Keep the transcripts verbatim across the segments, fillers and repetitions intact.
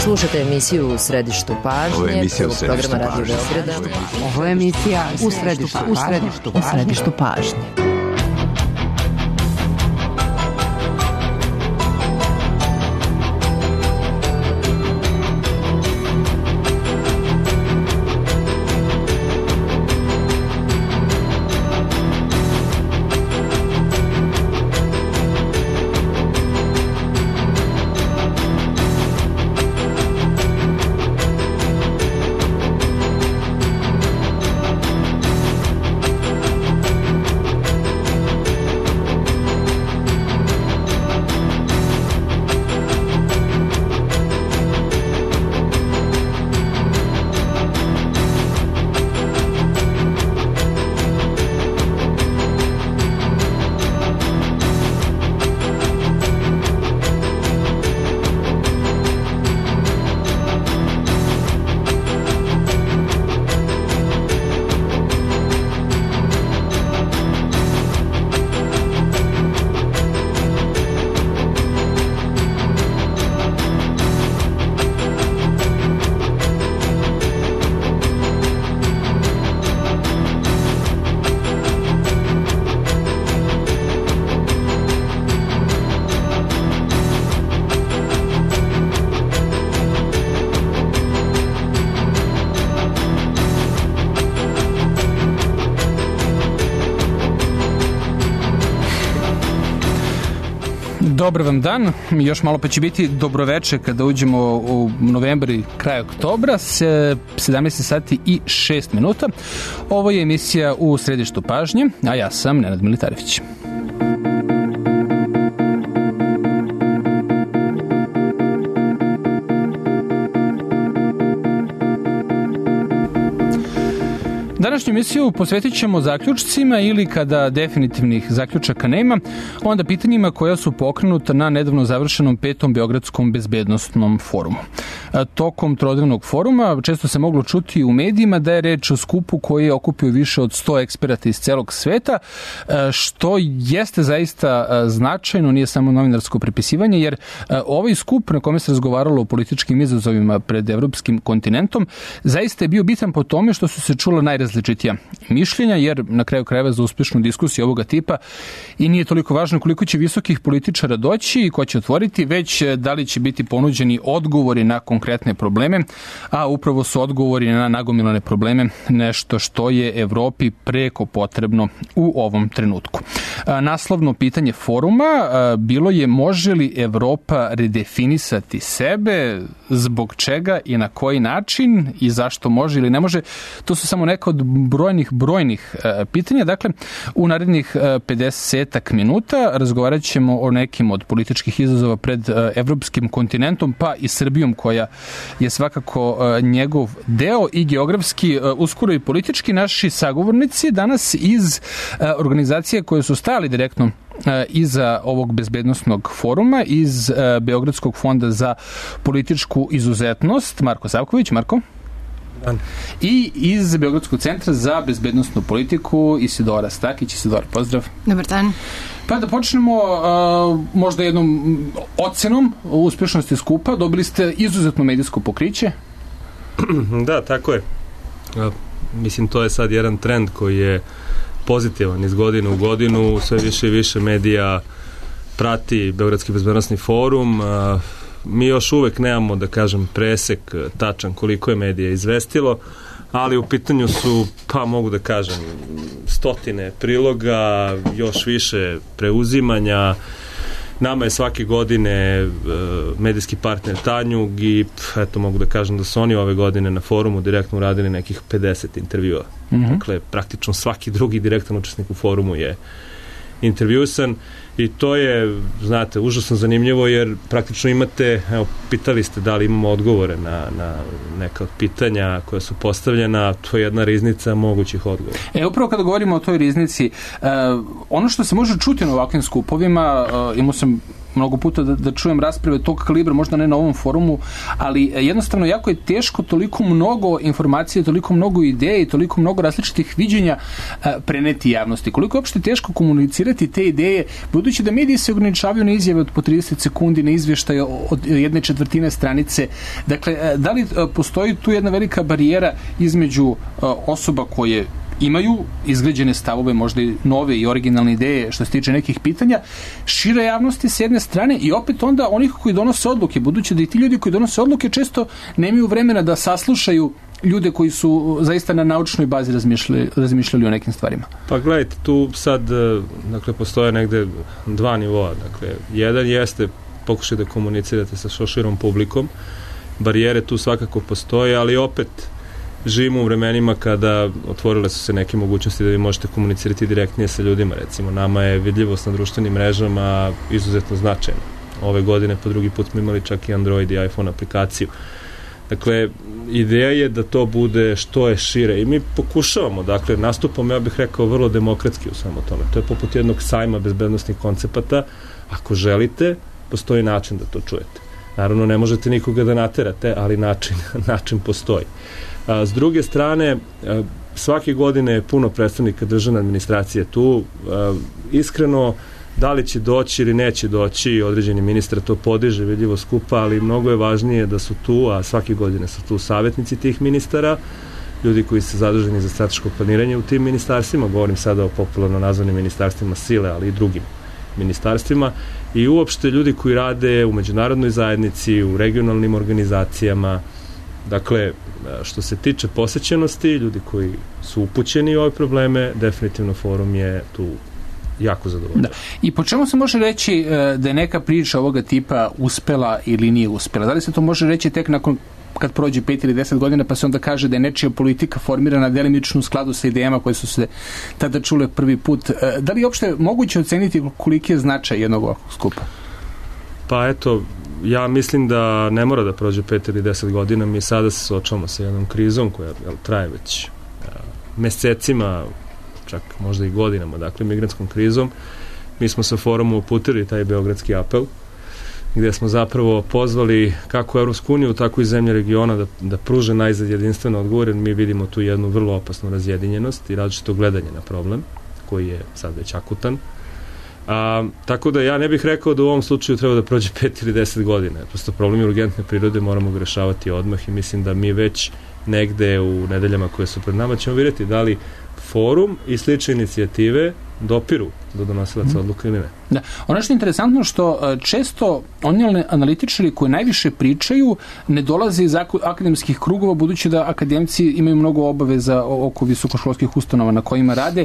Slušate emisiju U središtu pažnje. Ovo je emisija U središtu programa Radio pažnje. Beograda. Ovo je emisija U središtu U središtu U središtu pažnje. Dobar vam dan, još malo pa će biti dobroveče kada uđemo u novembar i kraj oktobra, sedamnaest sati i šest minuta. Ovo je emisija U središtu pažnje, a ja sam Nenad Militarević. Današnju emisiju posvetit ćemo zaključcima ili kada definitivnih zaključaka nema, onda pitanjima koja su pokrenuta na nedavno završenom petom Beogradskom bezbednostnom forumu. Tokom trodnevnog foruma često se moglo čuti u medijima da je reč o skupu koji je okupio više od sto eksperata iz celog sveta, što jeste zaista značajno, nije samo novinarsko prepisivanje, jer ovaj skup na kome se razgovaralo o političkim izazovima pred evropskim kontinentom zaista je bio bitan po tome što su se čula najrazličitija mišljenja, jer na kraju krajeva za uspešnu diskusiju ovoga tipa i nije toliko važno koliko će visokih političara doći i ko će otvoriti, već da li će biti ponuđeni odgovori na konkretne probleme, a upravo su odgovori na nagomilane probleme nešto što je Evropi preko potrebno u ovom trenutku. Naslovno pitanje foruma bilo je može li Evropa redefinisati sebe, zbog čega i na koji način i zašto može ili ne može. To su samo neka od brojnih, brojnih pitanja. Dakle, u narednih pedeset minuta razgovarat ćemo o nekim od političkih izazova pred evropskim kontinentom, pa i Srbijom koja je svakako njegov deo i geografski, uskoro i politički. Naši sagovornici danas iz organizacije koje su stali direktno iza ovog bezbednosnog foruma, iz Beogradskog fonda za političku izuzetnost, Marko Savković. Marko. Dan. I iz Beogradskog centra za bezbednostnu politiku Isidora Stakić. Isidora, pozdrav. Dobar dan. Pa da počnemo uh, možda jednom ocenom uspešnosti skupa. Dobili ste izuzetno medijsko pokriće. Da, tako je. Mislim, to je sad jedan trend koji je pozitivan iz godine u godinu. Sve više i više medija prati Beogradski bezbednosni forum. Mi još uvek nemamo, da kažem, presek tačan koliko je medija izvestilo, ali u pitanju su, pa mogu da kažem, stotine priloga, još više preuzimanja. Nama je svake godine uh, medijski partner Tanjug i eto mogu da kažem da su oni ove godine na forumu direktno uradili nekih pedeset intervjua. Mm-hmm. Dakle, praktično svaki drugi direktan učesnik u forumu je intervjusan i to je, znate, užasno zanimljivo jer praktično imate, evo, pitali ste da li imamo odgovore na, na neka od pitanja koja su postavljena, to je jedna riznica mogućih odgovora. E, upravo kada govorimo o toj riznici, uh, ono što se može čuti na ovakvim skupovima, uh, imao sam mnogo puta da, da čujem rasprave tog kalibra, možda ne na ovom forumu, ali jednostavno jako je teško toliko mnogo informacije, toliko mnogo ideja i toliko mnogo različitih viđenja preneti javnosti. Koliko je uopšte teško komunicirati te ideje, budući da mediji se ograničavaju na izjave od po trideset sekundi, na izvještaje od jedne četvrtine stranice. Dakle, da li postoji tu jedna velika barijera između osoba koje imaju izgrađene stavove, možda i nove i originalne ideje što se tiče nekih pitanja, šire javnosti s jedne strane i opet onda onih koji donose odluke, budući da i ti ljudi koji donose odluke često nemaju vremena da saslušaju ljude koji su zaista na naučnoj bazi razmišljali, razmišljali o nekim stvarima. Pa gledajte, tu sad dakle, postoje negde dva nivoa. Dakle, jedan jeste pokušaj da komunicirate sa što širom publikom. Barijere tu svakako postoje, ali opet živimo u vremenima kada otvorile su se neke mogućnosti da vi možete komunicirati direktnije sa ljudima. Recimo, nama je vidljivost na društvenim mrežama izuzetno značajna. Ove godine po drugi put smo imali čak i Android i iPhone aplikaciju. Dakle, ideja je da to bude što je šire i mi pokušavamo, dakle, nastupamo, ja bih rekao, vrlo demokratski u svemu tome. To je poput jednog sajma bezbednostnih koncepata. Ako želite, postoji način da to čujete. Naravno, ne možete nikoga da naterate, ali način, način postoji. A, s druge strane, a, svake godine je puno predstavnika državne administracije tu. A, iskreno, da li će doći ili neće doći, određeni ministar to podiže vidljivo skupa, ali mnogo je važnije da su tu, a svake godine su tu savjetnici tih ministara, ljudi koji su zaduženi za strateško planiranje u tim ministarstvima, govorim sada o popularno nazvanim ministarstvima sile, ali i drugim ministarstvima, i uopšte ljudi koji rade u međunarodnoj zajednici, u regionalnim organizacijama. Dakle, što se tiče posećenosti, ljudi koji su upućeni u ove probleme, definitivno forum je tu jako zadovoljno. Da. I po čemu se može reći da je neka priča ovoga tipa uspela ili nije uspela? Da li se to može reći tek nakon kad prođe pet ili deset godina, pa se onda kaže da je nečija politika formirana delimično u skladu sa idejama koje su se tada čule prvi put? Da li je uopšte moguće oceniti koliki je značaj jednog ovakvog skupa? Pa eto, ja mislim da ne mora da prođe pet ili deset godina. Mi sada se suočavamo sa jednom krizom koja jel, traje već mesecima, čak možda i godinama, dakle migrantskom krizom. Mi smo sa forumom uputili taj beogradski apel, gde smo zapravo pozvali kako Evropsku uniju, tako i zemlje regiona da, da pruže najzad jedinstveno odgovor. Mi vidimo tu jednu vrlo opasnu razjedinjenost i različito gledanje na problem, koji je sad već akutan. A, tako da ja ne bih rekao da u ovom slučaju treba da prođe pet ili deset godina. Prosto problem urgentne prirode moramo ga rešavati odmah i mislim da mi već negde u nedeljama koje su pred nama ćemo vidjeti da li forum i slične inicijative dopiru do donosilaca odluka ili ne. Da. Ono što je interesantno što često oni analitičari koji najviše pričaju ne dolaze iz akademskih krugova, budući da akademci imaju mnogo obaveza oko visokoškolskih ustanova na kojima rade.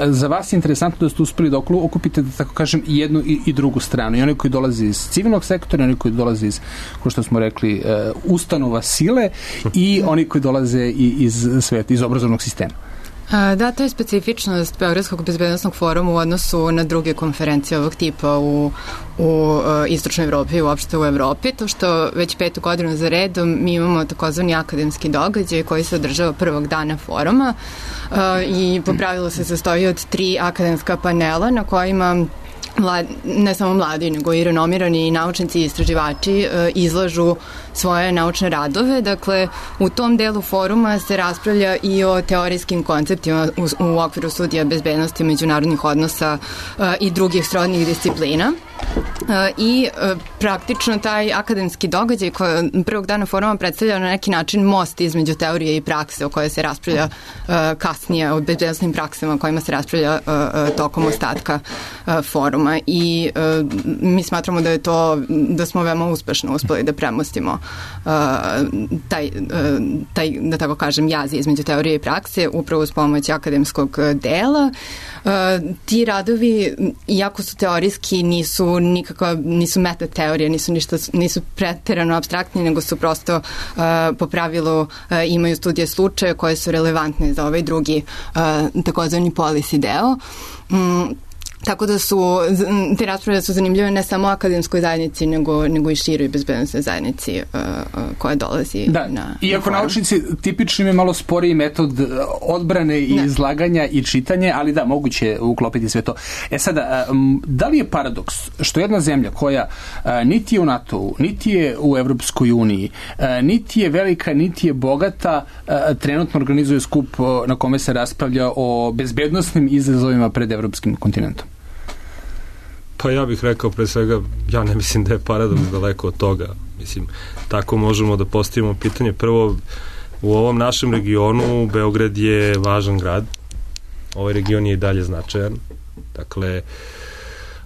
Za vas je interesantno da ste uspeli da okupite, da tako kažem, i jednu i drugu stranu. I oni koji dolaze iz civilnog sektora, oni koji dolaze iz, kao što smo rekli, ustanova sile i oni koji dolaze iz sveta, iz obrazovnog sistema. Da, to je specifičnost Beogradskog bezbednostnog foruma u odnosu na druge konferencije ovog tipa u, u Istočnoj Evropi i uopšte u Evropi, to što već petu godinu za redom mi imamo takozvani akademski događaj koji se održava prvog dana foruma i po pravilu se sastoji od tri akademska panela na kojima Mlad, ne samo mladi, nego i renomirani naučnici i istraživači e, izlažu svoje naučne radove. Dakle, u tom delu foruma se raspravlja i o teorijskim konceptima u, u okviru studija bezbednosti, međunarodnih odnosa e, i drugih srodnih disciplina. E, I e, praktično taj akademski događaj koji prvog dana foruma predstavlja na neki način most između teorije i prakse o kojoj se raspravlja e, kasnije, o bezbednostnim praksama o kojima se raspravlja e, e, tokom ostatka e, foruma. I e, mi smatramo da je to, da smo veoma uspešno uspeli da premostimo uh, taj, uh, taj, da tako kažem, jaz između teorije i prakse upravo uz pomoć akademskog dela. Uh, ti radovi, iako su teorijski, nisu nikakva, nisu meta teorije, nisu ništa, nisu preterano apstraktni, nego su prosto uh, po pravilu uh, imaju studije slučaja koje su relevantne za ovaj drugi uh, takozvani policy deo. Um, Tako da su, te rasprave su zanimljive ne samo akademskoj zajednici, nego, nego i široj bezbednostnoj zajednici uh, koja dolazi da, na... Iako na naučnici tipično im je malo sporiji metod odbrane i ne. izlaganja i čitanje, ali da, moguće uklopiti sve to. E sada, da li je paradoks što jedna zemlja koja niti je u NATO-u, niti je u Evropskoj uniji, niti je velika, niti je bogata, trenutno organizuje skup na kome se raspravlja o bezbednosnim izazovima pred evropskim kontinentom? Pa ja bih rekao pre svega, ja ne mislim da je paradoks daleko od toga. Mislim, tako možemo da postavimo pitanje. Prvo, u ovom našem regionu Beograd je važan grad. Ovaj region je i dalje značajan. Dakle,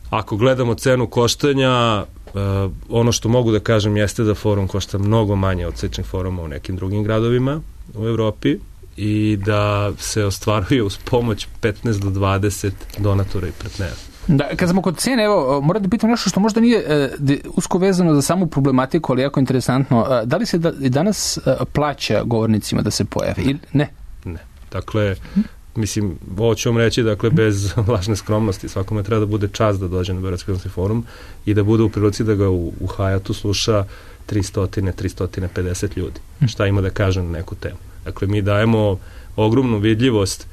ako gledamo cenu koštanja, uh, ono što mogu da kažem jeste da forum košta mnogo manje od sličnih foruma u nekim drugim gradovima u Evropi i da se ostvaruje uz pomoć petnaest do dvadeset donatora i partnera. Da, kad smo kod cene, evo, moram da pitam nešto što možda nije e, de, usko vezano za samu problematiku, ali jako interesantno. E, da li se da, danas e, plaća govornicima da se pojave? Ili ne? Ne. Dakle, mislim, ovo ću vam reći, dakle, bez lažne skromnosti. Svakome treba da bude čast da dođe na Beogradski bezbednosni forum i da bude u prilici da ga u, u Hayatu sluša tristo do tristo pedeset ljudi. Šta ima da kaže na neku temu. Dakle, mi dajemo ogromnu vidljivost.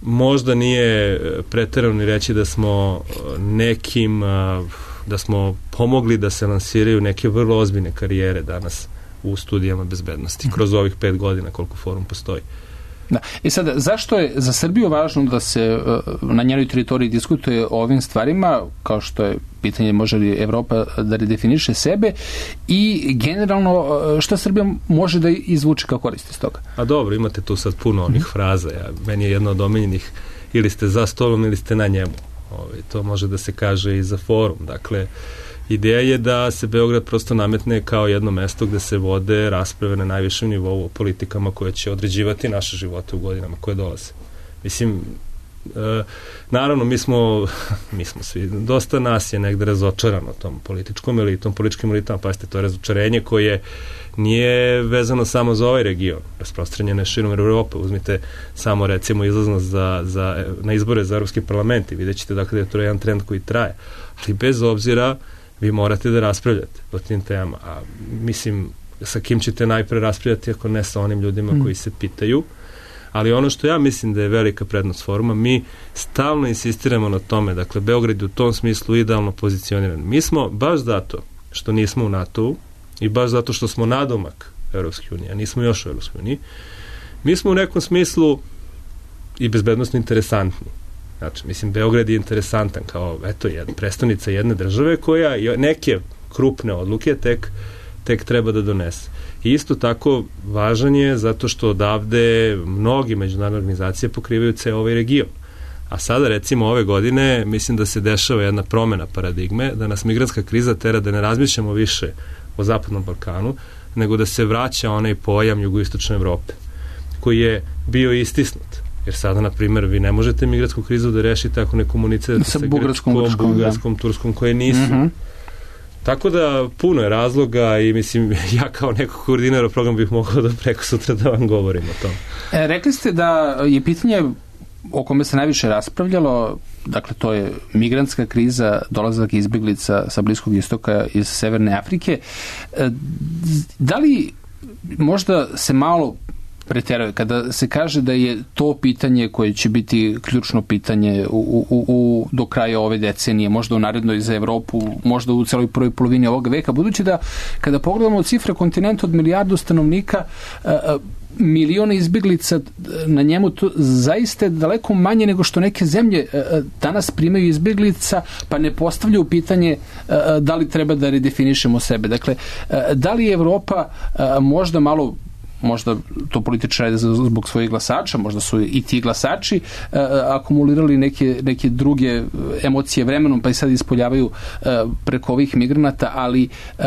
Možda nije preterano ni reći da smo nekim, da smo pomogli da se lansiraju neke vrlo ozbiljne karijere danas u studijama bezbednosti, kroz ovih pet godina koliko forum postoji. Da. I sad, zašto je za Srbiju važno da se na njenoj teritoriji diskutuje o ovim stvarima, kao što je pitanje može li Evropa da redefiniše sebe i generalno šta Srbija može da izvuče kao koristi iz toga? A dobro, imate tu sad puno onih fraza. Ja, meni je jedno od omiljenih ili ste za stolom ili ste na njemu. Ove, to može da se kaže i za forum. Dakle, ideja je da se Beograd prosto nametne kao jedno mesto gde se vode rasprave na najvišem nivou o politikama koje će određivati naše živote u godinama koje dolaze. Mislim, e, naravno, mi smo, mi smo svi, dosta nas je negde razočarano tom političkom elitom, političkim elitama, pazite, to je razočarenje koje nije vezano samo za ovaj region, rasprostranjeno je širom Evrope. Uzmite samo recimo izlaznost za, za, na izbore za Evropski parlament i vidjet ćete dakle da je to jedan trend koji traje. Ali bez obzira vi morate da raspravljate o tim temama. A mislim, sa kim ćete najpre raspravljati ako ne sa onim ljudima mm. koji se pitaju. Ali ono što ja mislim da je velika prednost foruma, mi stalno insistiramo na tome, dakle, Beograd je u tom smislu idealno pozicioniran. Mi smo, baš zato što nismo u NATO-u i baš zato što smo nadomak Evropske unije, a nismo još u Evropskoj uniji, mi smo u nekom smislu i bezbednostno interesantni. Znači, mislim, Beograd je interesantan kao, eto, jedna prestonica jedne države koja neke krupne odluke tek, tek treba da donese. I isto tako važan je zato što odavde mnogi međunarodne organizacije pokrivaju ceo ovaj region. A sada, recimo, ove godine, mislim da se dešava jedna promena paradigme, da nas migrantska kriza tera da ne razmišljamo više o Zapadnom Balkanu, nego da se vraća onaj pojam jugoistočne Evrope, koji je bio istisnut. Jer sada, na primjer, vi ne možete migrantsku krizu da rešite ako ne komunicirate sa, sa Grčkom, Bugarskom, Turskom, koje nisu. Mm-hmm. Tako da puno je razloga i mislim, ja kao neko koordinira program bih mogao da preko sutra da vam govorim o tom. E, rekli ste da je pitanje o kome se najviše raspravljalo, dakle to je migrantska kriza, dolazak izbeglica sa Bliskog istoka iz Severne Afrike. E, da li možda se malo preteruje kada se kaže da je to pitanje koje će biti ključno pitanje u, u, u, do kraja ove decenije, možda u narednoj za Evropu, možda u celoj prvoj polovini ovog veka, budući da kada pogledamo cifre kontinenta od milijardu stanovnika, miliona izbeglica na njemu, to zaista je daleko manje nego što neke zemlje danas primaju izbeglica, pa ne postavljaju pitanje da li treba da redefinišemo sebe. Dakle, da li je Evropa možda malo, možda to političari zbog svojih glasača, možda su i ti glasači uh, akumulirali neke, neke druge emocije vremenom, pa i sad ispoljavaju uh, preko ovih migranata, ali uh,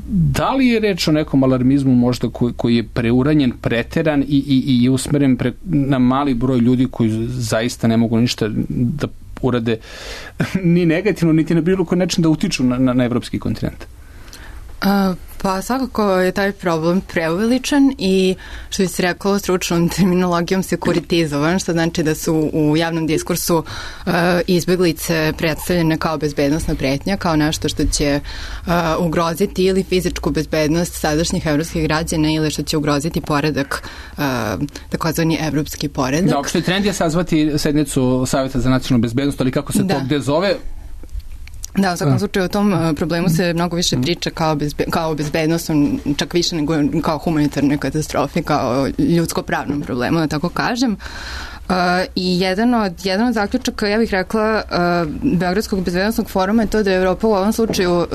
da li je reč o nekom alarmizmu možda koji, koji je preuranjen, preteran i, i, i usmeren pre, na mali broj ljudi koji zaista ne mogu ništa da urade ni negativno, niti na bilo koji način da utiču na, na, na evropski kontinent? Uh, pa svakako je taj problem preuveličan i što bi se rekao stručnom terminologijom sekuritizovan, što znači da su u javnom diskursu uh, izbeglice predstavljene kao bezbednostna pretnja, kao nešto što će uh, ugroziti ili fizičku bezbednost sadašnjih evropskih građana ili što će ugroziti poredak, uh, takozvani evropski poredak. Da, opšte trend je sazvati sednicu Saveta za nacionalnu bezbednost, ali kako se da. to gde zove? Da, u svakom slučaju o tom uh, problemu se mnogo više priča kao, bezbe, kao bezbednostnom, čak više nego kao humanitarnoj katastrofi, kao ljudsko-pravnom problemu, da tako kažem. Uh, I jedan od, jedan od zaključaka, ja bih rekla, uh, Beogradskog bezbednostnog foruma je to da je Evropa u ovom slučaju uh,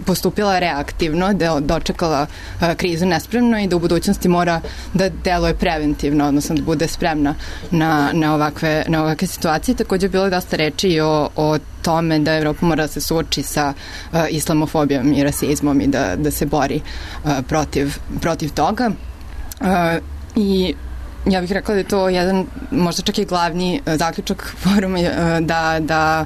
postupila reaktivno, da je dočekala uh, krizu nespremno i da u budućnosti mora da deluje preventivno, odnosno da bude spremna na, na, ovakve, na ovakve situacije. Također je bilo dosta reči i o, o tome da Evropa mora da se suoči sa uh, islamofobijom i rasizmom i da, da se bori uh, protiv, protiv toga. Uh, I ja bih rekla da je to jedan, možda čak i glavni uh, zaključak foruma uh, da, da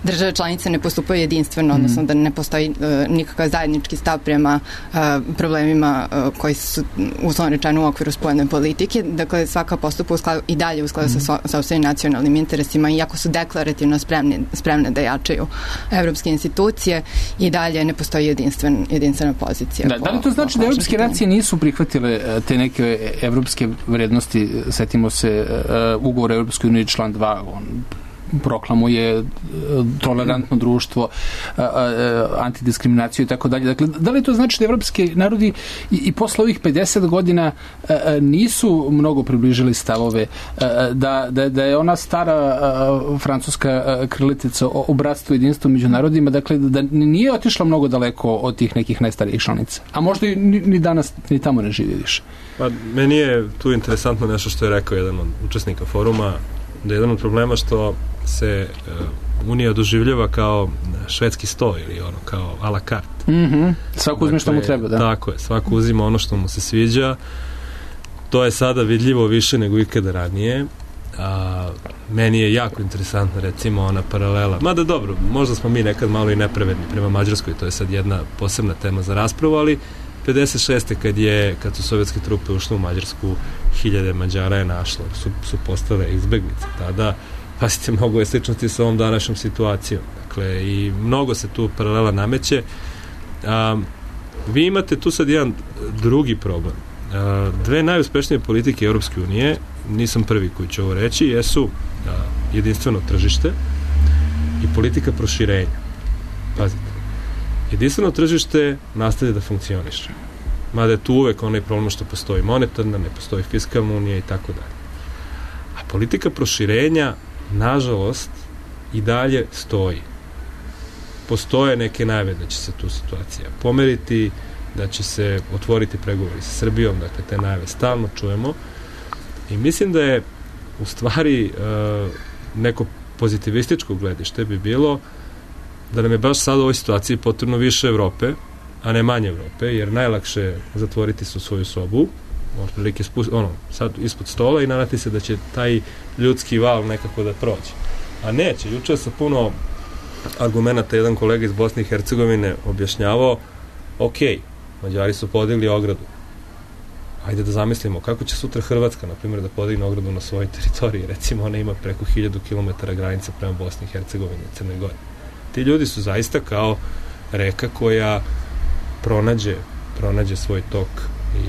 države članice ne postupaju jedinstveno, mm. odnosno da ne postoji uh, nikakav zajednički stav prema uh, problemima uh, koji su uslovno rečeno u okviru spoljne politike. Dakle, svaka postupa u skladu, i dalje u skladu mm. sa sopstvenim nacionalnim interesima, iako su deklarativno spremni, spremne da jačaju evropske institucije, i dalje ne postoji jedinstven, jedinstvena pozicija. Da, da li to znači da evropske nacije nisu prihvatile te neke evropske vrednosti? Setimo se uh, ugovor Evropskoj uniji član dva, on proklamuje uh, tolerantno društvo, uh, uh, antidiskriminaciju i tako dalje. Dakle, da li to znači da evropski narodi i, i posle ovih pedeset godina uh, nisu mnogo približili stavove, uh, da, da, da je ona stara uh, francuska uh, krilatica o, o bratstvu i jedinstvu među narodima, dakle, da nije otišla mnogo daleko od tih nekih najstarijih članica. A možda i ni, ni danas ni tamo ne živi više. Pa, meni je tu interesantno nešto što je rekao jedan od učesnika foruma, da je jedan od problema što se uh, Unija doživljava kao švedski sto ili ono, kao a la carte. Mm-hmm. Svako uzme dakle, što mu treba, da. Tako je, svako uzima ono što mu se sviđa. To je sada vidljivo više nego ikada ranije. A, meni je jako interesantna recimo ona paralela. Mada dobro, možda smo mi nekad malo i nepravedni prema Mađarskoj, to je sad jedna posebna tema za raspravu, ali pedeset šeste kad je kad su sovjetske trupe ušle u Mađarsku, hiljade Mađara je našlo, su, su postale izbeglice. Tada, pasite, mnogo je sličnosti sa ovom današnjom situacijom. Dakle, i mnogo se tu paralela nameće. A, vi imate tu sad jedan drugi problem. A, dve najuspešnije politike Europske unije, nisam prvi koji će ovo reći, jesu a, jedinstveno tržište i politika proširenja. Pazite. Jedinstveno tržište nastavlja da funkcioniše. Mada je tu uvek onaj problem što postoji monetarna, ne postoji fiskalna unija i tako dalje. A politika proširenja, nažalost, i dalje stoji. Postoje neke najave da će se tu situacija pomeriti, da će se otvoriti pregovori sa Srbijom, dakle te najave stalno čujemo. I mislim da je u stvari uh, neko pozitivističko gledište bi bilo da nam je baš sad u ovoj situaciji potrebno više Evrope, a ne manje Evrope, jer najlakše zatvoriti su svoju sobu, otprilike ono, sad ispod stola i nadati se da će taj ljudski val nekako da prođe. A neće, juče sa puno argumenta jedan kolega iz Bosne i Hercegovine objašnjavao, ok, Mađari su podigli ogradu. Ajde da zamislimo kako će sutra Hrvatska, na primjer, da podigne ogradu na svojoj teritoriji. Recimo, ona ima preko hiljadu kilometara granica prema Bosni i Hercegovini i Crnoj Gori. Ti ljudi su zaista kao reka koja pronađe, pronađe svoj tok i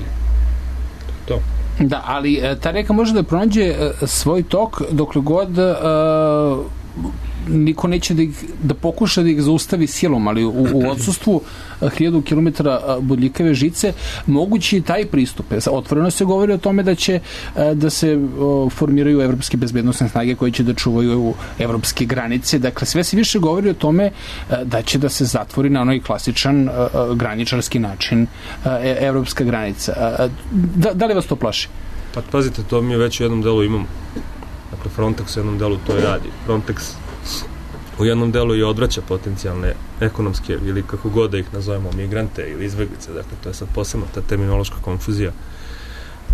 to je to. Da, ali ta reka može da pronađe svoj tok dokle god uh, niko neće da, ih, da pokuša da ih zaustavi silom, ali u, u odsustvu hiljadu kilometara bodljikave žice mogući je taj pristup. Otvoreno se govori o tome da će da se formiraju evropske bezbednosne snage koje će da čuvaju evropske granice. Dakle, sve se više govori o tome da će da se zatvori na onaj klasičan graničarski način evropska granica. Da, da li vas to plaši? Pa pazite, to mi već u jednom delu imamo. Dakle, Frontex u jednom delu to i radi. Frontex u jednom delu i odvraća potencijalne ekonomske ili kako god da ih nazovemo migrante ili izbeglice, dakle to je sad posebno ta terminološka konfuzija.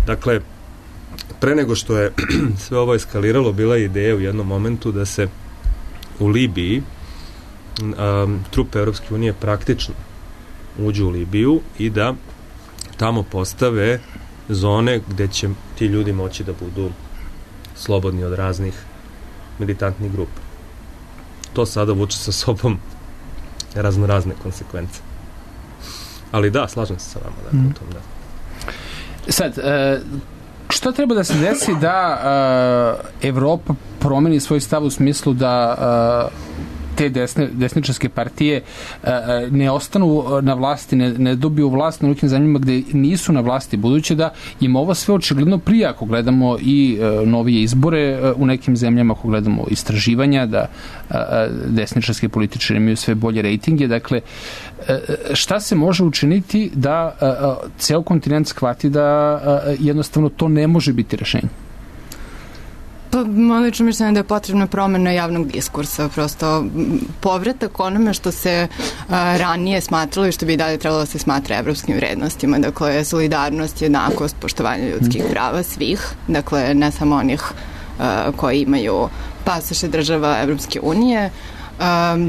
Dakle, pre nego što je sve ovo eskaliralo, bila je ideja u jednom momentu da se u Libiji um, trupe Evropske unije praktično uđu u Libiju i da tamo postave zone gde će ti ljudi moći da budu slobodni od raznih militantnih grupa. To sada vuče sa sobom razno razne konsekvence. Ali da, slažem se sa vama. Da, mm. tom, da. Sad, e, šta treba da se desi da e, Evropa promeni svoj stav u smislu da e, te desne, desničarske partije e, ne ostanu na vlasti, ne, ne dobiju vlast na nekim zemljama gde nisu na vlasti, budući da im ovo sve očigledno prije, ako gledamo i e, novije izbore e, u nekim zemljama, ako gledamo istraživanja, da e, desničarske političari imaju sve bolje rejtinge. Dakle, e, šta se može učiniti da e, ceo kontinent shvati da e, jednostavno to ne može biti rešenje? Pa, lično mišljenje da je potrebna promena javnog diskursa, prosto povratak onome što se a, ranije smatralo i što bi i dalje trebalo da se smatra evropskim vrednostima, dakle solidarnost, jednakost, poštovanje ljudskih prava svih, dakle ne samo onih a, koji imaju pasoše država Evropske unije. A,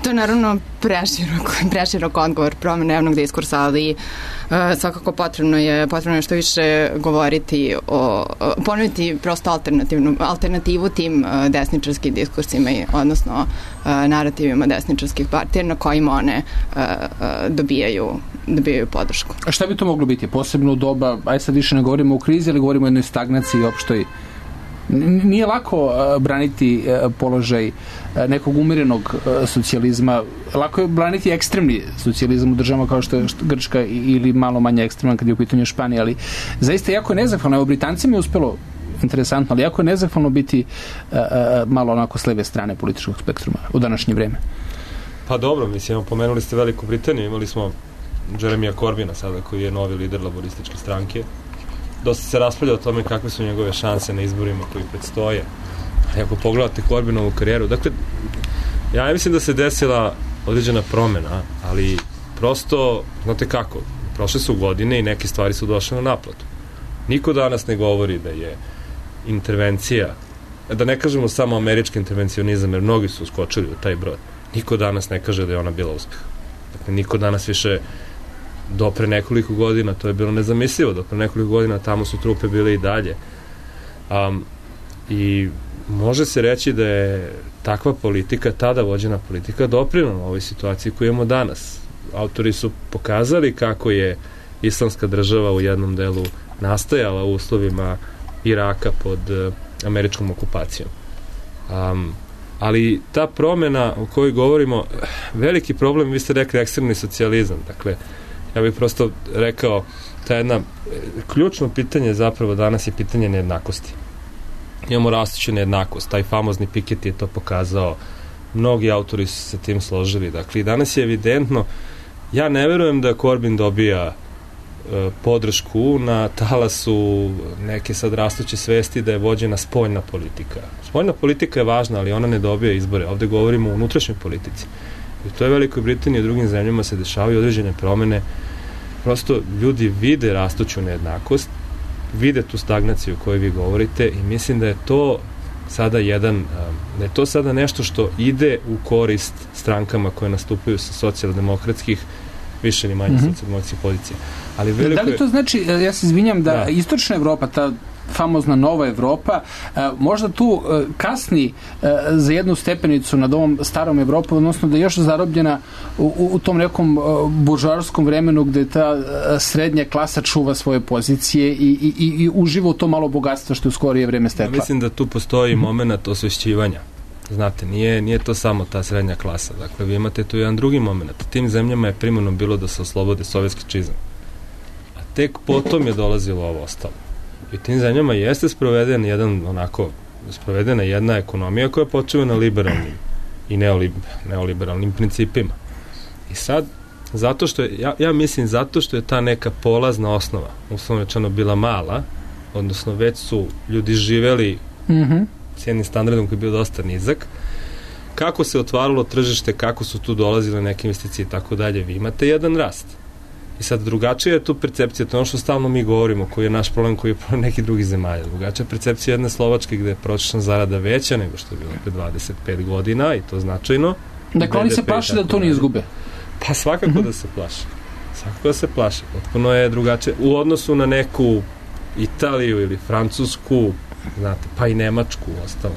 to je naravno preširok, preširok odgovor promena javnog diskursa, ali uh, svakako potrebno je, potrebno je što više govoriti o, ponoviti prosto alternativnu, alternativu tim uh, desničarskim diskursima, i, odnosno uh, narativima desničarskih partija na kojima one uh, uh, dobijaju, dobijaju podršku. A šta bi to moglo biti? Posebno u doba, aj sad više ne govorimo o krizi, ali govorimo o jednoj stagnaciji i opštoj. Nije lako uh, braniti uh, položaj uh, nekog umirenog uh, socijalizma. Lako je braniti ekstremni socijalizam u državama kao što je Grčka ili malo manje ekstreman kad je u pitanju Španija, ali zaista jako je nezahvalno. Evo, Britancima je uspelo interesantno, ali jako je nezahvalno biti uh, uh, malo onako s leve strane političkog spektruma u današnje vreme. Pa dobro, mislim, pomenuli ste Veliku Britaniju, imali smo Jeremija Corbina sada, koji je novi lider laborističke stranke. Dosta se raspravlja o tome kakve su njegove šanse na izborima koji predstoje. A ako pogledate Corbinovu karijeru, dakle, ja mislim da se desila određena promena, ali prosto, znate kako, prošle su godine i neke stvari su došle na naplatu. Niko danas ne govori da je intervencija, da ne kažemo samo američki intervencionizam, jer mnogi su uskočili u taj brod. Niko danas ne kaže da je ona bila uspeh. Dakle, niko danas više do pre nekoliko godina, to je bilo nezamislivo, do pre nekoliko godina tamo su trupe bile i dalje. Um, I može se reći da je takva politika, tada vođena politika, doprinela ovoj situaciji koju imamo danas. Autori su pokazali kako je islamska država u jednom delu nastajala u uslovima Iraka pod uh, američkom okupacijom. Um, ali ta promena o kojoj govorimo, veliki problem, vi ste rekli ekstremni socijalizam, dakle, ja bih prosto rekao, ta jedna, ključno pitanje zapravo danas je pitanje nejednakosti. Imamo rastuću nejednakost, taj famozni Piketty je to pokazao, mnogi autori su se tim složili, dakle, i danas je evidentno, ja ne verujem da Corbyn dobija e, podršku na talasu neke sad rastuće svesti da je vođena spoljna politika. Spoljna politika je važna, ali ona ne dobija izbore, ovde govorimo o unutrašnjoj politici. I to je Velikoj Britaniji i drugim zemljama se dešavaju određene promene. Prosto ljudi vide rastuću nejednakost, vide tu stagnaciju o kojoj vi govorite i mislim da je to sada jedan, da je to sada nešto što ide u korist strankama koje nastupaju sa socijaldemokratskih, više ni manje mm-hmm. socijaldemokratskih pozicija. Ali veliko... Da li to znači, ja se izvinjam, da, da. Istočna Evropa, ta famozna nova Evropa, možda tu kasni za jednu stepenicu nad ovom starom Evropom, odnosno da je još zarobljena u, u tom nekom buržoarskom vremenu gde ta srednja klasa čuva svoje pozicije i, i, i uživa u to malo bogatstva što je u skorije vreme stekla. Ja mislim da tu postoji moment osvešćivanja. Znate, nije, nije to samo ta srednja klasa. Dakle, vi imate tu jedan drugi moment. Tim zemljama je primarno bilo da se oslobode sovjetski čizam. A tek potom je dolazilo ovo ostalo. I tim zemljama jeste sproveden jedan onako, sprovedena jedna ekonomija koja počeva na liberalnim i neolib, neoliberalnim principima. I sad, zato što je, ja, ja mislim zato što je ta neka polazna osnova, uslovno rečeno, bila mala, odnosno već su ljudi živeli mm-hmm. s jednim standardom koji je bio dosta nizak, kako se otvaralo tržište, kako su tu dolazile neke investicije i tako dalje, vi imate jedan rast. I sad drugačija je tu percepcija, to je ono što stalno mi govorimo, koji je naš problem, koji je problem nekih drugih zemalja. Drugačija percepcija jedne Slovačke gde je prosječna zarada veća nego što je bilo pre dvadeset pet godina i to značajno. Dakle, oni se plaše da to ne izgube. Pa svakako mm-hmm. da se plaše. Svakako da se plaše. Potpuno je drugačije. U odnosu na neku Italiju ili Francusku, znate, pa i Nemačku ostalo.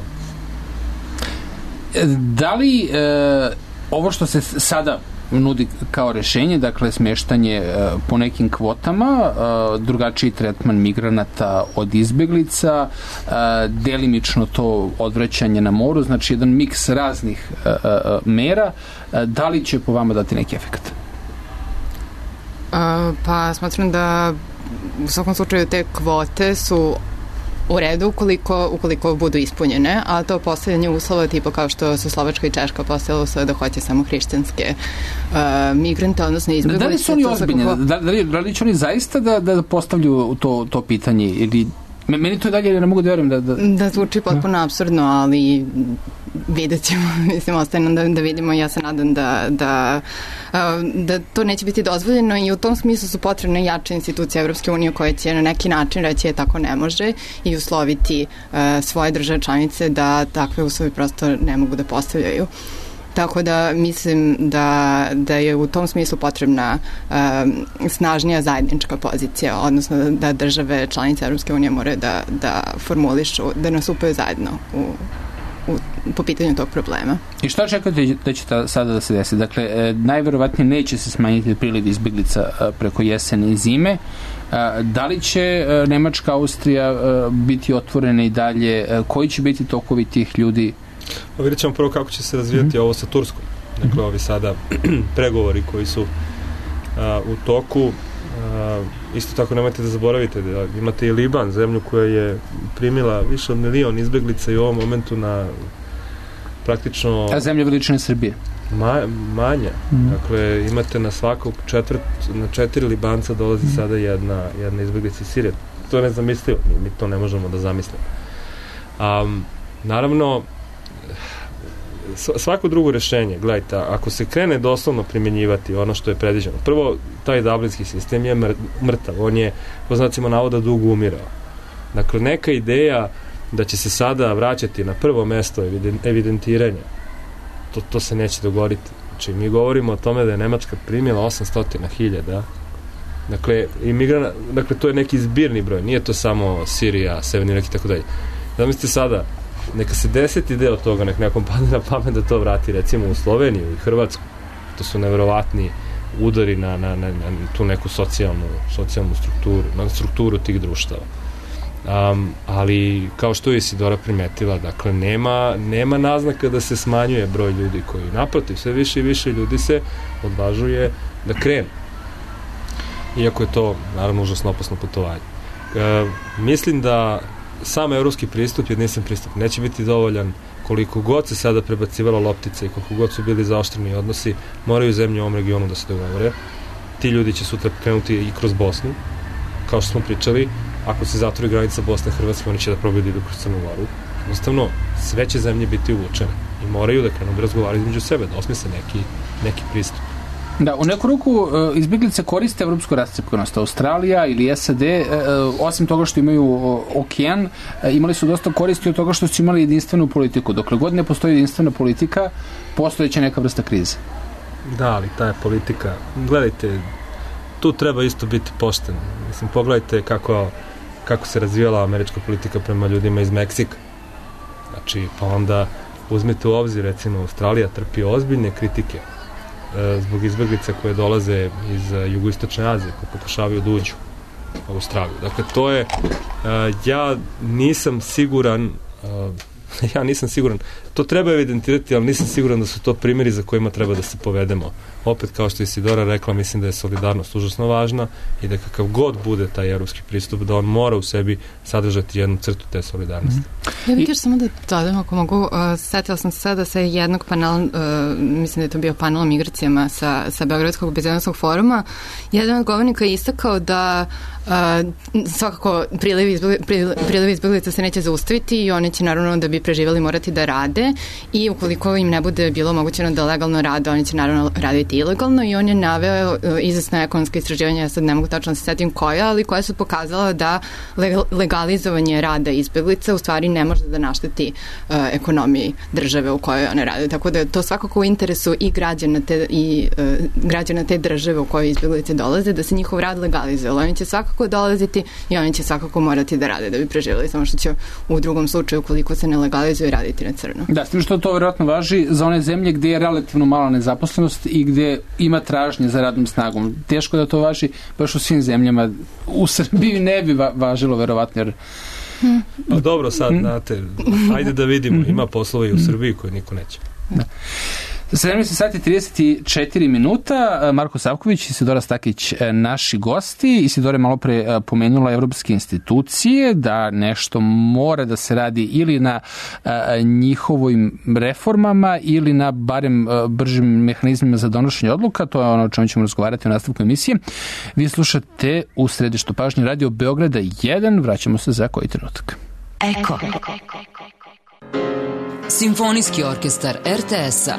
Da li e, ovo što se sada nudi kao rešenje, dakle smještanje e, po nekim kvotama, e, drugačiji tretman migranata od izbeglica, e, delimično to odvraćanje na moru, znači jedan miks raznih e, e, mera, e, da li će po vama dati neki efekt? Uh, pa smatram da u svakom slučaju te kvote su u redu ukoliko, ukoliko budu ispunjene, a to postavljanje uslova tipa kao što su Slovačka i Češka postavila uslova da hoće samo hrišćanske uh, migrante, odnosno izbjeglice. Da li su oni ozbiljni? Svakako... Da, da, li, da li će oni zaista da, da postavljaju to, to pitanje? Ili... Meni to dalje ne mogu da verujem da... Da, da zvuči potpuno apsurdno, ali vidjet ćemo, mislim, ostaje nam da, da vidimo. Ja se nadam da, da, da to neće biti dozvoljeno i u tom smislu su potrebne jače institucije Evropske unije koje će na neki način reći je tako ne može i usloviti uh, svoje države članice da takve uslove prosto ne mogu da postavljaju. Tako da mislim da, da je u tom smislu potrebna um, snažnija zajednička pozicija, odnosno da, da države članice Evropske unije moraju da, da formulišu, da nastupaju zajedno u, u, po pitanju tog problema. I šta čekate da će ta, sada da se desi? Dakle, e, najverovatnije neće se smanjiti priliv izbeglica e, preko jesene i zime. E, da li će e, Nemačka, Austrija e, biti otvorene i dalje? E, koji će biti tokovi tih ljudi? Pa vidjet ćemo prvo kako će se razvijati mm-hmm. ovo sa Turskom. Dakle, ovi sada pregovori koji su a, u toku. A, isto tako nemojte da zaboravite da imate i Liban, zemlju koja je primila više od milion izbeglica i u ovom momentu na praktično... A zemlja veličine Srbije? Ma, manja. Mm-hmm. Dakle, imate na svakog četvrt, na četiri Libanca dolazi mm-hmm. sada jedna, jedna izbeglica iz Sirije. To je nezamislivo. Mi, mi to ne možemo da zamislimo. Um, naravno, svako drugo rešenje, gledajte, ako se krene doslovno primjenjivati ono što je predviđeno, prvo, taj dublinski sistem je mrtav, on je, po znacima navoda, dugo umirao. Dakle, neka ideja da će se sada vraćati na prvo mesto evidentiranja, to, to se neće dogoditi. Znači, mi govorimo o tome da je Nemačka primila osamsto hiljada, dakle, imigrana, dakle, to je neki zbirni broj, nije to samo Sirija, Severni Irak i tako dalje. Zamislite sada, neka se deseti deo toga, nek nekom padne na pamet da to vrati recimo u Sloveniju i Hrvatsku. To su neverovatni udari na, na, na, na tu neku socijalnu, socijalnu strukturu, na strukturu tih društava. Um, ali kao što je Isidora primetila, dakle nema, nema naznaka da se smanjuje broj ljudi koji naprotiv, sve više i više ljudi se odvažuje da krenu. Iako je to naravno užasno opasno putovanje. Uh, mislim da sam evropski pristup, jedinstven pristup, neće biti dovoljan. Koliko god se sada prebacivalo loptice i koliko god su bili zaoštreni odnosi, moraju zemlje u ovom regionu da se dogovore. Ti ljudi će sutra krenuti i kroz Bosnu, kao što smo pričali. Ako se zatvori granica Bosne i Hrvatske, oni će da probaju da idu kroz Crnu Goru. Jednostavno, sve će zemlje biti uvučene i moraju da krenu da razgovaraju između sebe, da osmisle neki, neki pristup. Da, u neku ruku izbjeglice koriste evropsku rascjepkanost. Australija ili S A D, osim toga što imaju okean, imali su dosta koristi od toga što su imali jedinstvenu politiku. Dokle god ne postoji jedinstvena politika, postojeće neka vrsta krize. Da, ali ta je politika, gledajte, tu treba isto biti pošten. Mislim, pogledajte kako, kako se razvijala američka politika prema ljudima iz Meksika. Znači, pa onda uzmite u obzir, recimo, Australija trpi ozbiljne kritike zbog izbjeglica koje dolaze iz jugoistočne Azije, koje pokušavaju da uđu u Australiju. Dakle, to je, ja nisam siguran, ja nisam siguran, to treba evidentirati, ali nisam siguran da su to primjeri za kojima treba da se povedemo. Opet, kao što je Isidora rekla, mislim da je solidarnost užasno važna i da kakav god bude taj evropski pristup, da on mora u sebi sadržati jednu crtu te solidarnosti. Ja bih još samo da dodam, ako mogu, uh, setila sam se sada sa jednog panela, uh, mislim da je to bio panel o migracijama sa, sa Beogradskog bezbednosnog foruma. Jedan od govornika je istakao da uh, svakako priliv izbjeglica se neće zaustaviti i one će naravno da bi preživjeli morati da rade i ukoliko im ne bude bilo omogućeno da legalno rade, oni će naravno raditi ilegalno i on je naveo izvesna ekonomska istraživanja, ja sad ne mogu tačno da se setim koja, ali koja su pokazala da legalizovanje rada izbeglica u stvari ne može da našteti uh, ekonomiji države u kojoj one rade. Tako da je to svakako u interesu i građana te, i, uh, građana te države u kojoj izbeglice dolaze, da se njihov rad legalizuje. Oni će svakako dolaziti i oni će svakako morati da rade da bi preživjeli, samo što će u drugom slučaju, ukoliko se ne legalizuje, raditi na crno. Da, s tim što to vjerojatno važi za one zemlje gdje je relativno mala nezaposlenost i gdje ima tražnje za radnom snagom. Teško da to važi baš u svim zemljama. U Srbiji ne bi va- važilo verovatno, jer Pa dobro, sad, znate, ajde da vidimo, ima poslova i u Srbiji koje niko neće. Da. sedamnaest sati i trideset četiri minuta. Marko Savković, Isidora Stakić, naši gosti. Isidora je malo pre pomenula evropske institucije, da nešto mora da se radi ili na njihovim reformama ili na barem bržim mehanizmima za donošenje odluka. To je ono o čemu ćemo razgovarati u nastavku emisije. Vi slušate u središtu pažnje Radio Beograda jedan. Vraćamo se za koji trenutak. Eko. Simfonijski orkestar er te es-a.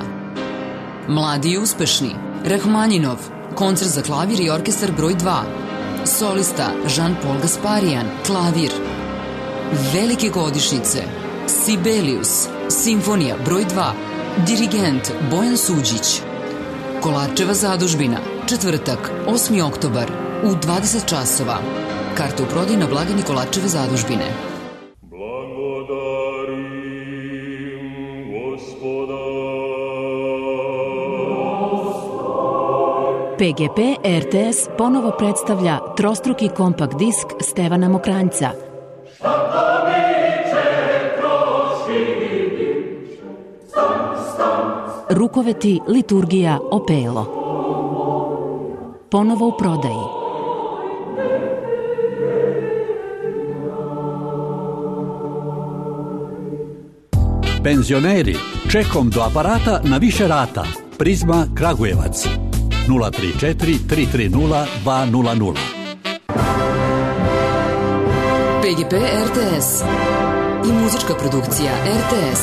Mladi i uspešni. Rahmanjinov. Koncert za klavir i orkestar broj dva. Solista Jean-Paul Gasparian. Klavir. Velike godišnjice. Sibelius. Simfonija broj dva. Dirigent Bojan Suđić. Kolarčeva zadužbina. Četvrtak, osmi oktobar u dvadeset časova. Karte u prodaji na blagajni Kolarčeve zadužbine. pe ge pe er te es ponovo predstavlja trostruki kompakt disk Stevana Mokranjca. Rukoveti, liturgija, opelo. Ponovo u prodaji. Penzioneri, čekom do aparata na više rata. Prizma Kragujevac. nula tri četiri tri tri nula dva nula nula. pe ge pe er te es i muzička produkcija er te es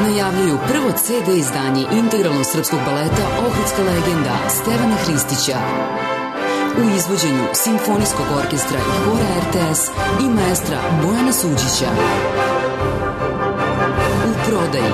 najavljuju prvo ce de izdanje integralnog srpskog baleta Ohridska legenda Stevana Hristića u izvođenju Simfonijskog orkestra i hora er te es i maestra Bojana Suđića. U prodaji.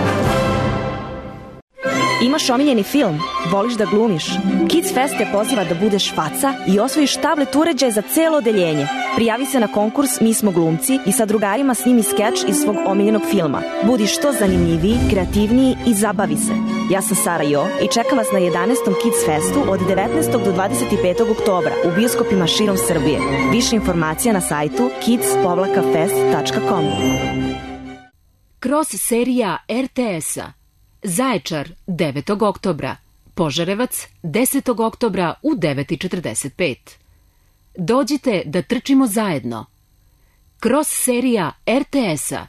Imaš omiljeni film? Voliš da glumiš? Kids Fest te poziva da budeš faca i osvojiš tablet uređaj za celo odeljenje. Prijavi se na konkurs Mi smo glumci i sa drugarima snimi skeč iz svog omiljenog filma. Budi što zanimljiviji, kreativniji i zabavi se. Ja sam Sara Jo i čekam vas na jedanaestom Kids Festu od devetnaestog do dvadeset petog oktobra u bioskopima širom Srbije. Više informacija na sajtu kids fest tačka com. Kroz serija er te es-a. Zaječar devetog oktobra, Požarevac desetog oktobra u devet i četrdeset pet. Dođite da trčimo zajedno. Kroz serija er te es-a.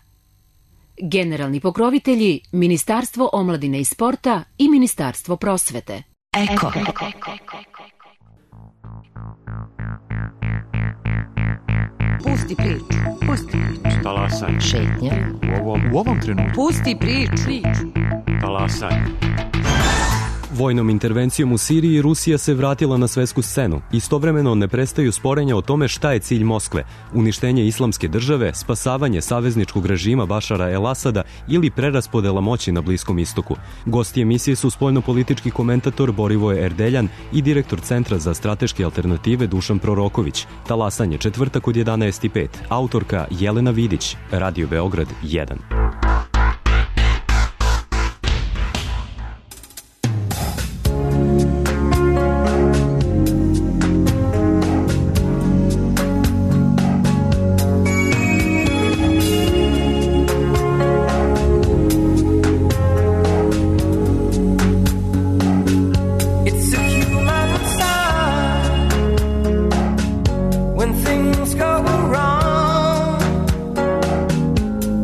Generalni pokrovitelji Ministarstvo omladine i sporta i Ministarstvo prosvete. Eko. Pusti priču. Pusti priču. Talasaj. Šetnja. U ovom, u ovom trenutku. Pusti priču. Talasaj. Vojnom intervencijom u Siriji Rusija se vratila na svetsku scenu. Istovremeno ne prestaju sporenja o tome šta je cilj Moskve. Uništenje islamske države, spasavanje savezničkog režima Bašara el-Asada ili preraspodela moći na Bliskom istoku. Gosti emisije su spoljnopolitički komentator Borivoje Erdeljan i direktor Centra za strateške alternative Dušan Proroković. Talasanje četvrtak od jedanaest i pet. Autorka Jelena Vidić. Radio Beograd jedan.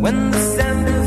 When the sand is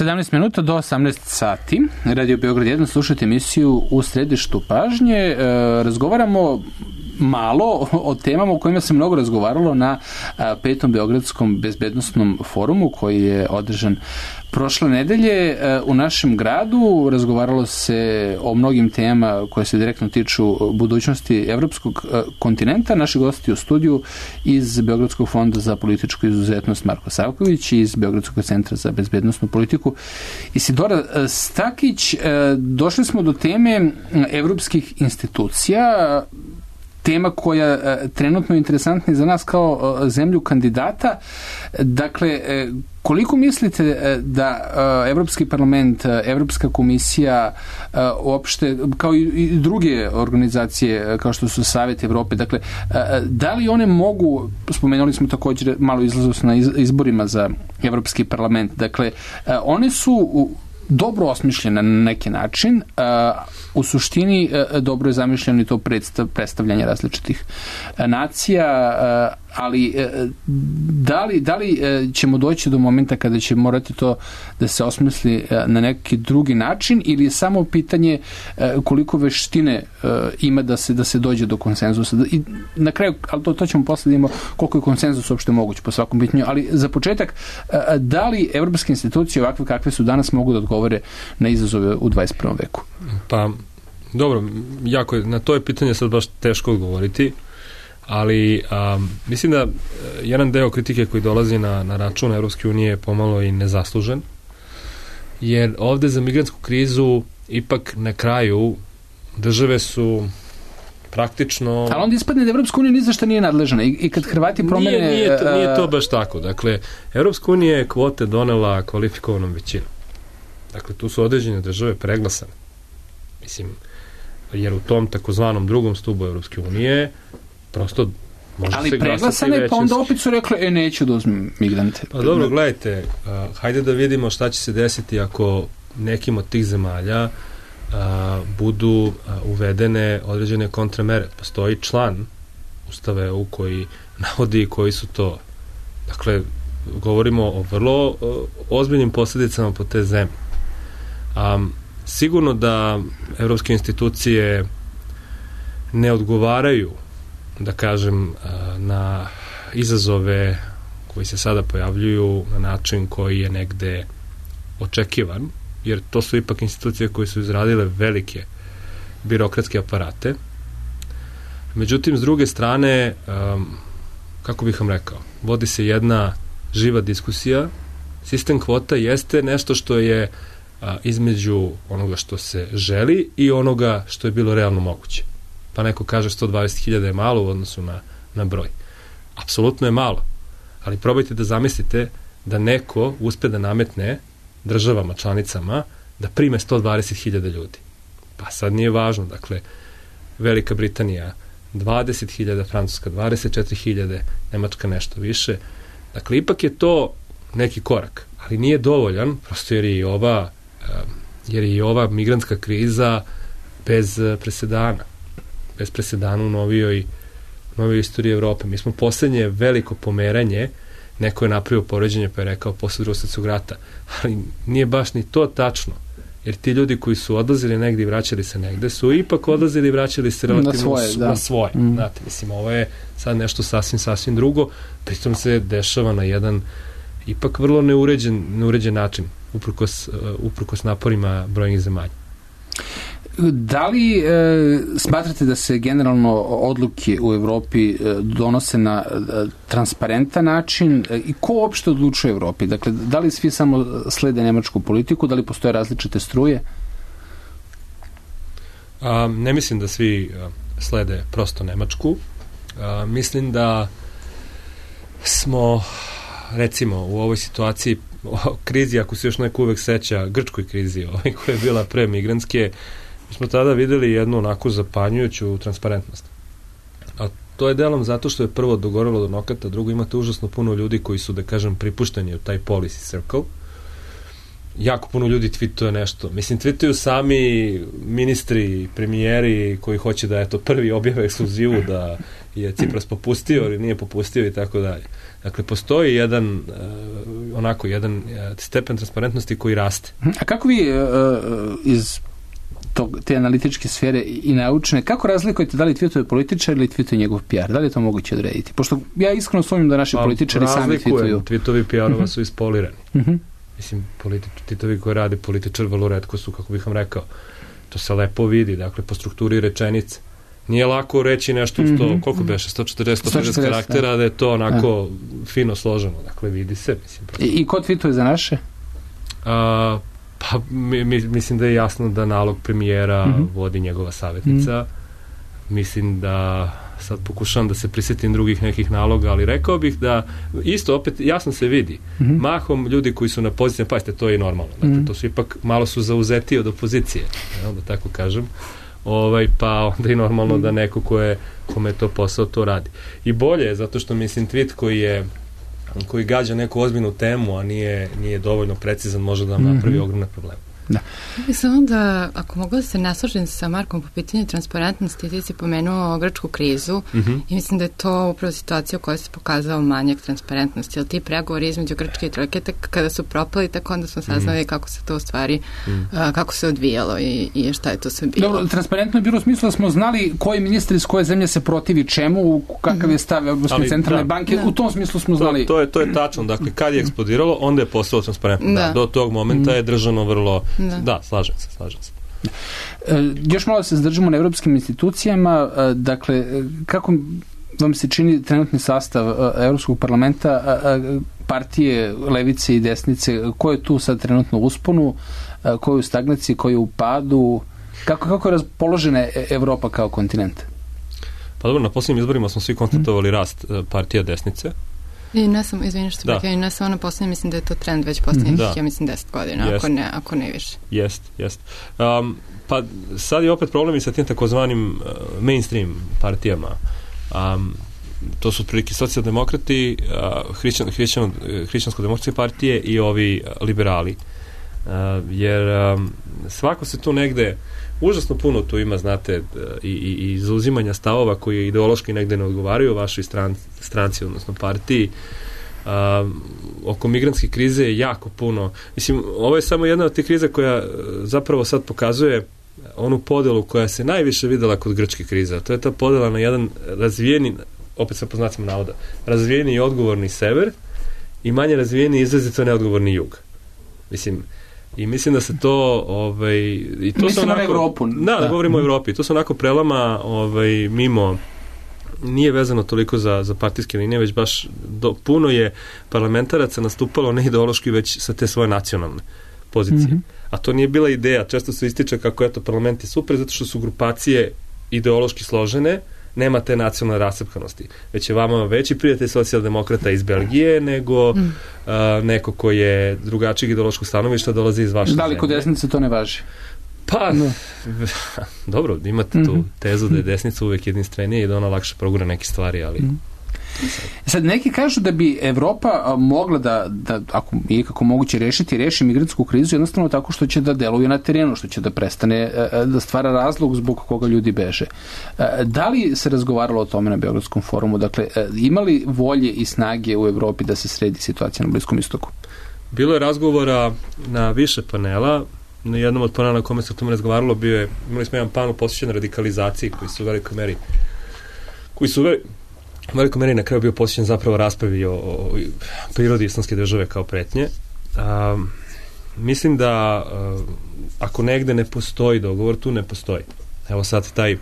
sedamnaest minuta do osamnaest sati. Radio Beograd jedan, slušajte emisiju U središtu pažnje. E, razgovaramo malo o temama o kojima se mnogo razgovaralo na a, petom Beogradskom bezbednostnom forumu koji je održan prošle nedelje u našem gradu. Razgovaralo se o mnogim temama koje se direktno tiču budućnosti evropskog kontinenta. Naši gosti u studiju iz Beogradskog fonda za političku izuzetnost Marko Savković, iz Beogradskog centra za bezbednostnu politiku Isidora Stakić. Došli smo do teme evropskih institucija. tema koja uh, trenutno je interesantna za nas kao uh, zemlju kandidata. Dakle, uh, koliko mislite uh, da uh, Evropski parlament, uh, Evropska komisija, uh, uopšte, kao i, i druge organizacije uh, kao što su Savet Evrope, dakle, uh, da li one mogu, spomenuli smo također malo izlaznost na iz, izborima za Evropski parlament, dakle, uh, one su u, dobro osmišljena na neki način, uh, u suštini uh, dobro je zamišljeno i to predstav, predstavljanje različitih uh, nacija, uh, ali uh, da li, da li uh, ćemo doći do momenta kada će morati to da se osmisli uh, na neki drugi način, ili je samo pitanje uh, koliko veštine uh, ima da se da se dođe do konsenzusa. I na kraju, ali to, to ćemo posle da imamo koliko je konsenzus uopšte moguć po svakom pitanju, ali za početak, uh, da li evropske institucije ovakve kakve su danas mogu da odgovore na izazove u dvadeset prvom veku? Pa, dobro, jako je, na to je pitanje sad baš teško odgovoriti, ali um, mislim da jedan deo kritike koji dolazi na, na račun Evropske unije je pomalo i nezaslužen, jer ovde za migrantsku krizu ipak na kraju države su praktično... Ali onda ispadne da Evropska unija ni za šta nije nadležna i, i kad Hrvati promene... Nije, nije, to, nije to baš tako. Dakle, Evropska unija je kvote donela kvalifikovanom većinom. Dakle, tu su određene države preglasane. Mislim, jer u tom takozvanom drugom stubu Evropske unije prosto može ali se glasati većinski. Ali preglasane, pa onda opet su rekli, e, neću da uzmem migrante. Pa dobro, gledajte, uh, hajde da vidimo šta će se desiti ako nekim od tih zemalja uh, budu uh, uvedene određene kontramere. Postoji član Ustava E U koji navodi koji su to. Dakle, govorimo o vrlo uh, ozbiljnim posljedicama po te zemlje. Um, sigurno da evropske institucije ne odgovaraju, da kažem, na izazove koji se sada pojavljuju na način koji je negde očekivan, jer to su ipak institucije koje su izradile velike birokratske aparate. Međutim, s druge strane, um, kako bih vam rekao, vodi se jedna živa diskusija. Sistem kvota jeste nešto što je a, između onoga što se želi i onoga što je bilo realno moguće. Pa neko kaže sto dvadeset hiljada je malo u odnosu na, na broj. Apsolutno je malo, ali probajte da zamislite da neko uspe da nametne državama, članicama, da prime sto dvadeset hiljada ljudi. Pa sad nije važno, dakle, Velika Britanija dvadeset hiljada, Francuska dvadeset četiri hiljade, Nemačka nešto više. Dakle, ipak je to neki korak, ali nije dovoljan, prosto jer je i ova, jer je i ova migrantska kriza bez presedana. Bez presedana u novijoj, novijoj istoriji Evrope. Mi smo poslednje veliko pomeranje, neko je napravio poređenje pa je rekao posle Drugog svjetskog rata, ali nije baš ni to tačno, jer ti ljudi koji su odlazili negdje i vraćali se negde su ipak odlazili i vraćali se relativno na svoje. Na svoje. Mm. Znate, mislim, ovo je sad nešto sasvim, sasvim drugo, pritom se dešava na jedan ipak vrlo neuređen, neuređen način, uprkos, uh, uprkos naporima brojnih zemalja. Da li e, smatrate da se generalno odluke u Evropi e, donose na e, transparentan način e, i ko uopšte odlučuje u Evropi? Dakle, da li svi samo slede nemačku politiku, da li postoje različite struje? A, ne mislim da svi a, slede prosto nemačku. A, mislim da smo, recimo, u ovoj situaciji, o krizi, ako se još neko uvek seća, grčkoj krizi, ovaj, koja je bila pre migrantske, mi smo tada videli jednu onako zapanjujuću transparentnost. A to je delom zato što je prvo dogorelo do nokata, drugo imate užasno puno ljudi koji su, da kažem, pripušteni u taj policy circle. Jako puno ljudi tweetuje nešto. Mislim, tweetuju sami ministri, premijeri koji hoće da, eto, prvi objave ekskluzivu da je Cipras popustio ili nije popustio i tako dalje. Dakle, postoji jedan uh, onako, jedan uh, stepen transparentnosti koji raste. A kako vi uh, iz tog, te analitičke sfere i naučne, kako razlikujete da li tweetuje političar ili tweetuje njegov P R? Da li je to moguće odrediti? Pošto ja iskreno sumnjam da naši pa, političari sami tweetuju. Tweetovi P R-ova uh-huh. su ispolirani. Uh-huh. Mislim, tweetovi koje radi političar vrlo retko su, kako bih vam rekao, to se lepo vidi, dakle, po strukturi rečenice. Nije lako reći nešto sto, mm-hmm. koliko beše, sto četrdeset, sto pedeset karaktera, da je to onako ja. fino složeno. Dakle, vidi se. Mislim, I, I ko tweetuje za naše? A, pa, mi, mi, mislim da je jasno da nalog premijera mm-hmm. vodi njegova savjetnica. Mm-hmm. Mislim da sad pokušavam da se prisjetim drugih nekih naloga, ali rekao bih da isto opet jasno se vidi. Mm-hmm. Mahom ljudi koji su na pozicijama, pazite, to je i normalno. Dakle, mm-hmm. to su ipak malo su zauzeti od opozicije, ja, da tako kažem. Ovaj, pa onda i normalno mm-hmm. da neko ko je, kome je to posao, to radi. I bolje je, zato što mislim tweet koji je koji gađa neku ozbiljnu temu, a nije, nije dovoljno precizan, može da nam napravi mm-hmm. ogromne probleme. Da. Mislim da, ako mogu da se ne složim sa Markom po pitanju transparentnosti, ti si pomenuo grčku krizu mm-hmm. i mislim da je to upravo situacija u kojoj se pokazao manjak transparentnosti, jer ti pregovori između Grčke i Trojke, kada su propali, tako onda smo saznali mm-hmm. kako se to u stvari, mm-hmm. uh, kako se odvijalo i, i šta je to sve bilo. Dobro, transparentno je bilo u smislu da smo znali koji ministar iz koje zemlje se protivi čemu, kakav mm-hmm. je stav Evropske centralne da, banke, da. U tom smislu smo znali. To, to, je, to je tačno, dakle, kad je eksplodiralo, onda je postalo transparentno. Da. Da, do tog momenta mm-hmm. je držano vrlo Da. da, slažem se, slažem se. E, još malo se zadržimo na evropskim institucijama. E, dakle, kako vam se čini trenutni sastav e, Evropskog parlamenta, e, partije levice i desnice, ko je tu sad trenutno u usponu, e, ko je u stagnaciji, ko je u padu, kako, kako je raspoložena Evropa kao kontinent? Pa dobro, na posljednjim izborima smo svi konstatovali hmm. rast e, partija desnice. I ne samo, izvini što da. I ne samo na posljednje, mislim da je to trend već posljednjih, da. ja mislim, deset godina, jest. ako ne, ako ne više. Jest, jest. Um, pa sad je opet problem i sa tim takozvanim uh, mainstream partijama. Um, to su prilike socijaldemokrati, uh, hrišćan, hrišćan, hrišćansko-demokratske partije i ovi uh, liberali. Uh, jer um, svako se tu negde užasno puno tu ima, znate, i, i, i zauzimanja stavova koji ideološki negde ne odgovaraju vašoj stran, stranci, odnosno partiji. Um, oko migrantske krize je jako puno. Mislim, ovo je samo jedna od tih kriza koja zapravo sad pokazuje onu podelu koja se najviše videla kod grčke krize. A to je ta podela na jedan razvijeni, opet sa poznacima navoda, razvijeni i odgovorni sever i manje razvijeni i izrazito neodgovorni jug. Mislim, i mislim da se to ovaj i to mislim onako, na Evropu. Da, da, da govorimo o Evropi. To su onako prelama ovaj mimo, nije vezano toliko za za partijske linije, već baš do, puno je parlamentaraca nastupalo ne ideološki, već sa te svoje nacionalne pozicije. Mm-hmm. A to nije bila ideja. Često se ističe kako eto parlament je super zato što su grupacije ideološki složene, nema te nacionalne rascepkanosti. Već je vama veći prijatelj socijaldemokrata iz Belgije nego mm. uh, neko ko je drugačijeg ideološkog stanovišta dolazi iz vaše zemlje. Da li kod desnice to ne važi? Pa, no. dobro, imate mm-hmm. tu tezu da je desnica uvek jedinstvenija i da ona lakše progura neke stvari, ali... Mm. Sad, neki kažu da bi Evropa mogla da, da ako je kako moguće rešiti, reši migrantsku krizu jednostavno tako što će da deluje na terenu, što će da prestane da stvara razlog zbog koga ljudi beže. Da li se razgovaralo o tome na Beogradskom forumu? Dakle, ima li volje i snage u Evropi da se sredi situacija na Bliskom istoku? Bilo je razgovora na više panela. Na jednom od panela na kome se o tome razgovaralo bio je, imali smo jedan panel posvećen radikalizaciji koji su u velikoj meri koji su u velikoj meri na kraju bio posvećen zapravo raspravi o, o prirodi islamske države kao pretnje. Um, mislim da uh, ako negde ne postoji dogovor, tu ne postoji. Evo sad taj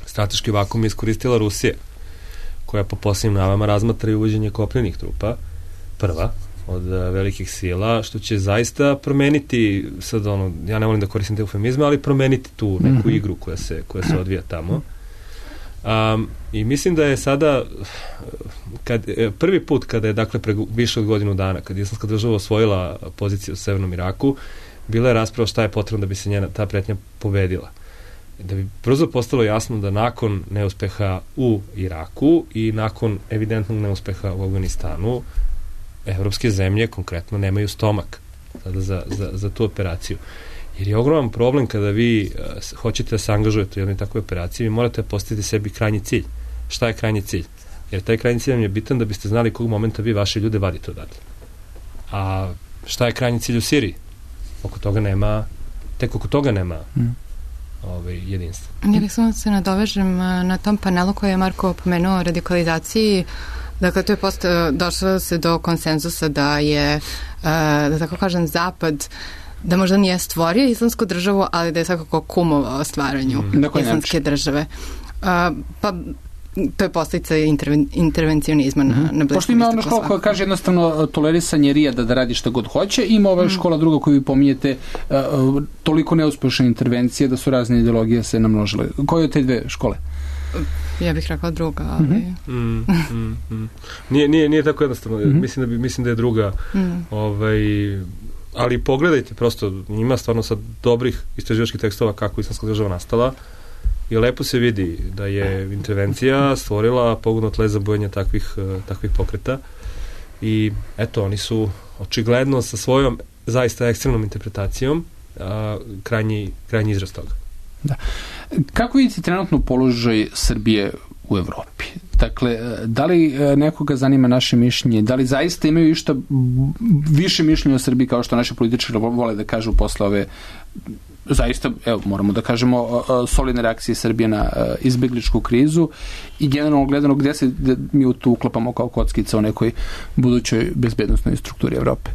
strateški vakum je iskoristila Rusija, koja po posljednjim navama razmatra i uvođenje kopljenih trupa, prva od uh, velikih sila, što će zaista promeniti, sad ono, ja ne volim da koristim te eufemizme, ali promeniti tu neku mm-hmm. igru koja se, koja se odvija tamo. Um, i mislim da je sada kad, prvi put kada je dakle pre više od godinu dana kad je islamska država osvojila poziciju u Severnom Iraku, bila je rasprava šta je potrebno da bi se njena ta pretnja pobedila, da bi brzo postalo jasno da nakon neuspeha u Iraku i nakon evidentnog neuspeha u Afganistanu evropske zemlje konkretno nemaju stomak sada za, za, za tu operaciju. Jer je ogroman problem kada vi uh, hoćete da se angažujete u jednoj takvoj operaciji, vi morate postaviti sebi krajnji cilj. Šta je krajnji cilj? Jer taj krajnji cilj vam je bitan da biste znali kog momenta vi vaše ljude vadite odatle. A šta je krajnji cilj u Siriji? Oko toga nema, tek oko toga nema mm. ovaj, jedinstva. Ja bih samo se nadovežem na tom panelu koji je Marko pomenuo o radikalizaciji. Dakle, to je posto, došlo se do konsenzusa da je, uh, da tako kažem, Zapad da možda nije stvorio islamsku državu, ali da je svakako kumovao stvaranju mm. islamske države. Uh, pa to je posljedica interven, intervencionizma mm-hmm. na, na Bliskom istoku. Pošto ima ona škola koja kaže jednostavno tolerisanje rijada da radi šta god hoće, ima ova mm. škola druga koju vi pominjete uh, toliko neuspešne intervencije da su razne ideologije se namnožile. Koje od te dve škole? Ja bih rekla druga, ali... Mm, mm, mm. Nije, nije, nije tako jednostavno. Mm-hmm. Mislim, da bi, mislim da je druga. Mm. Ovaj, ali pogledajte, prosto ima stvarno sad dobrih istraživačkih tekstova kako Islamska država nastala i lepo se vidi da je intervencija stvorila pogodno tle za bujanje takvih, takvih pokreta i eto, oni su očigledno sa svojom zaista ekstremnom interpretacijom a, krajnji, krajnji izraz toga. Da. Kako vidite trenutno položaj Srbije u Evropi? Dakle, da li nekoga zanima naše mišljenje? Da li zaista imaju išta više mišljenja o Srbiji kao što naši političari vole da kažu posle ove zaista, evo, moramo da kažemo solidne reakcije Srbije na izbegličku krizu i generalno gledano gde se gde mi tu uklapamo kao kockica u nekoj budućoj bezbednosnoj strukturi Evrope?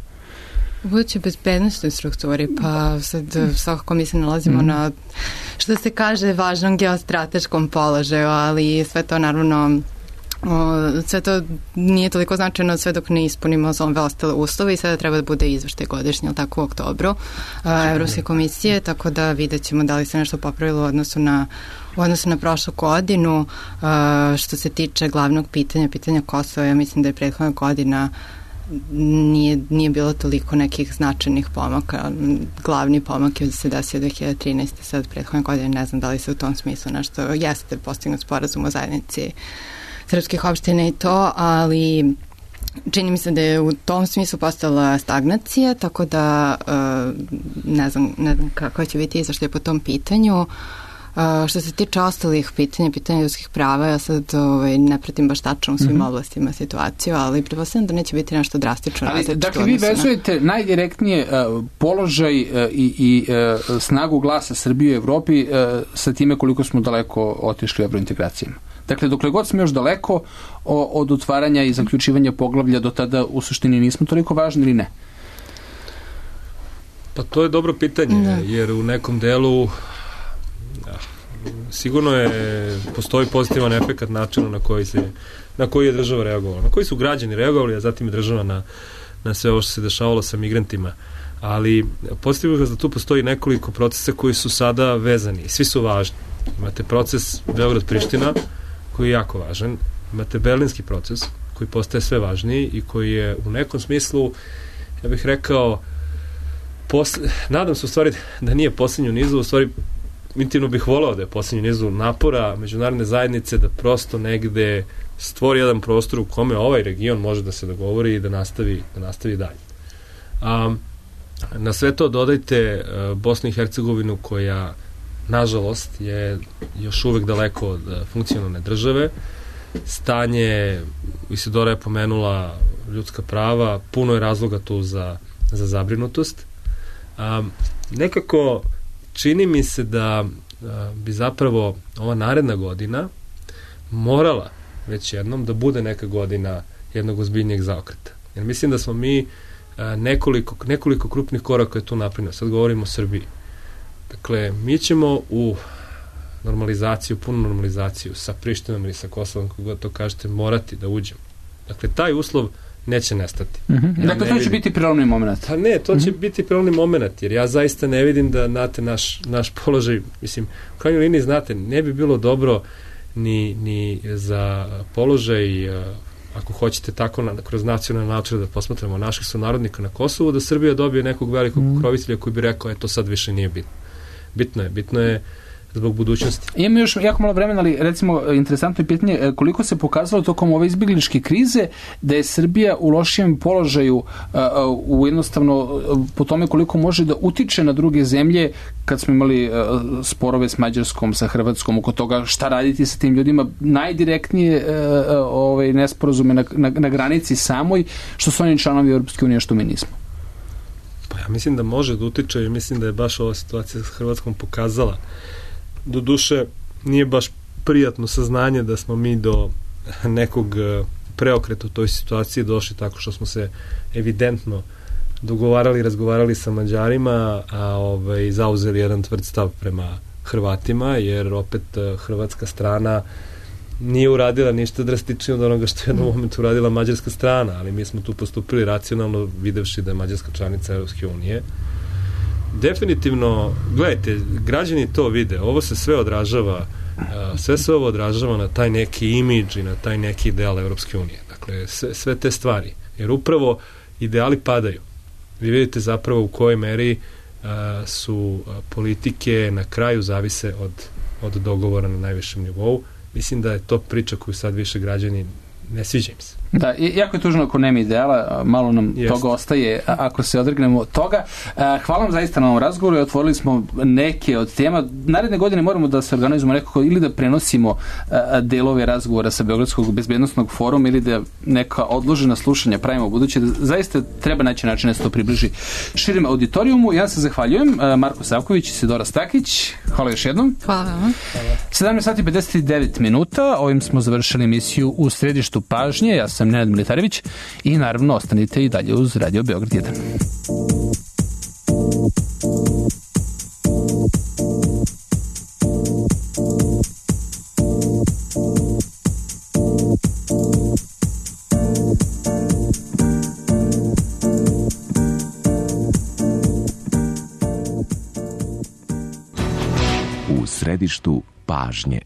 U budućoj bezbednostnoj strukturi, pa sad svakako mi se nalazimo mm. na, što se kaže, važnom geostrateškom položaju, ali sve to naravno O, sve to nije toliko značajno sve dok ne ispunimo ove ostale uslove i sada treba da bude izveštaj godišnje, ali tako u oktobru a, Evropske komisije, tako da vidjet ćemo da li se nešto popravilo u odnosu na, u odnosu na prošlu godinu. A, što se tiče glavnog pitanja, pitanja Kosova, ja mislim da je prethodna godina nije, nije bilo toliko nekih značajnih pomaka. Glavni pomak je se desio dve hiljade trinaeste. sad prethodne godine, ne znam da li se u tom smislu nešto jeste postignut sporazum o zajednici srpskih opština i to, ali čini mi se da je u tom smislu postala stagnacija, tako da ne znam, ne znam kako će biti izveštaj po tom pitanju. Što se tiče ostalih pitanja, pitanja ljudskih prava, ja sad ovaj, ne pratim baš tačno u svim mm-hmm. oblastima situaciju, ali pretpostavljam da neće biti nešto drastično različito. Dakle, vi vezujete na... najdirektnije uh, položaj uh, i, i uh, snagu glasa Srbije u Evropi uh, sa time koliko smo daleko otišli u evrointegracijama. Dakle, dokle god smo još daleko o, od otvaranja i zaključivanja poglavlja, do tada u suštini nismo toliko važni ili ne? Pa to je dobro pitanje, da. Jer u nekom delu da, sigurno je, postoji pozitivan efekat načina na koji, se, na koji je država reagovala, na koji su građani reagovali, a zatim je država na, na sve ovo što se dešavalo sa migrantima. Ali pozitivno je da tu postoji nekoliko procesa koji su sada vezani, svi su važni. Imate proces Beograd-Priština, koji je jako važan. Imate berlinski proces, koji postaje sve važniji i koji je u nekom smislu, ja bih rekao, posle, nadam se u stvari da nije posljednju nizu, u stvari intimno bih volao da je posljednju nizu napora međunarodne zajednice da prosto negde stvori jedan prostor u kome ovaj region može da se dogovori i da nastavi, da nastavi dalje. A, na sve to dodajte a, Bosnu i Hercegovinu koja nažalost je još uvek daleko od funkcionalne države. Stanje, Isidora je pomenula ljudska prava, puno je razloga tu za, za zabrinutost. Um, nekako čini mi se da uh, bi zapravo ova naredna godina morala već jednom da bude neka godina jednog ozbiljnijeg zaokreta. Jer mislim da smo mi uh, nekoliko, nekoliko krupnih koraka je tu napravljeno. Sad govorimo o Srbiji. Dakle, mi ćemo u normalizaciju, punu normalizaciju sa Prištinom ili sa Kosovom, kako god to kažete, morati da uđemo. Dakle, taj uslov neće nestati. Mm-hmm. Ja dakle, to će biti prelomni moment. Pa ne, to mm-hmm. će biti prelomni moment, jer ja zaista ne vidim da, znate, naš, naš položaj, mislim, u krajnjoj liniji, znate, ne bi bilo dobro ni, ni za položaj, ako hoćete tako, na, kroz nacionalne načine da posmatramo naših sunarodnika na Kosovu, da Srbija dobije nekog velikog mm-hmm. pokrovitelja koji bi rekao, eto, sad više nije bitno. Bitno je, bitno je zbog budućnosti. Imamo još jako malo vremena, ali recimo interesantno je pitanje koliko se pokazalo tokom ove izbjegličke krize da je Srbija u lošijem položaju u jednostavno po tome koliko može da utiče na druge zemlje kad smo imali sporove s Mađarskom, sa Hrvatskom, oko toga šta raditi sa tim ljudima, najdirektnije ove nesporazume na, na, na granici samoj, što su oni članovi Europske unije, što mi nismo. Pa ja mislim da može da utiče i mislim da je baš ova situacija s Hrvatskom pokazala. Do duše nije baš prijatno saznanje da smo mi do nekog preokreta u toj situaciji došli tako što smo se evidentno dogovarali, razgovarali sa Mađarima, a ovaj, zauzeli jedan tvrd stav prema Hrvatima, jer opet hrvatska strana nije uradila ništa drastično od onoga što je u jednom momentu uradila mađarska strana, ali mi smo tu postupili racionalno videvši da je Mađarska članica Europske unije. Definitivno, gledajte, građani to vide, ovo se sve odražava Sve se ovo odražava na taj neki imidž i na taj neki ideal Evropske unije. Dakle, sve, sve te stvari. Jer upravo ideali padaju. Vi vidite zapravo u kojoj meri a, su a, politike na kraju zavise od, od dogovora na najvišem nivou. Mislim da je to priča koju sad više građani ne sviđa im se. Da, jako je tužno ako nema ideala, malo nam Jest. toga ostaje ako se odregnemo od toga. Hvala vam zaista na ovom razgovoru i otvorili smo neke od tema. Naredne godine moramo da se organizujemo nekako ili da prenosimo delove razgovora sa Beogradskog bezbednostnog foruma ili da neka odložena slušanja pravimo u buduće. Zaista treba naći način da se to približi širim auditorijumu. Ja se zahvaljujem. Marko Savković i Sidora Stakić. Hvala još jednom. Hvala vam. sedamnaest sati pedeset devet minuta. Ovim smo završili emisiju U središtu pažnje. Ja sam Nenad Militarević i naravno ostanite i dalje uz Radio Beograd jedan. U središtu pažnje.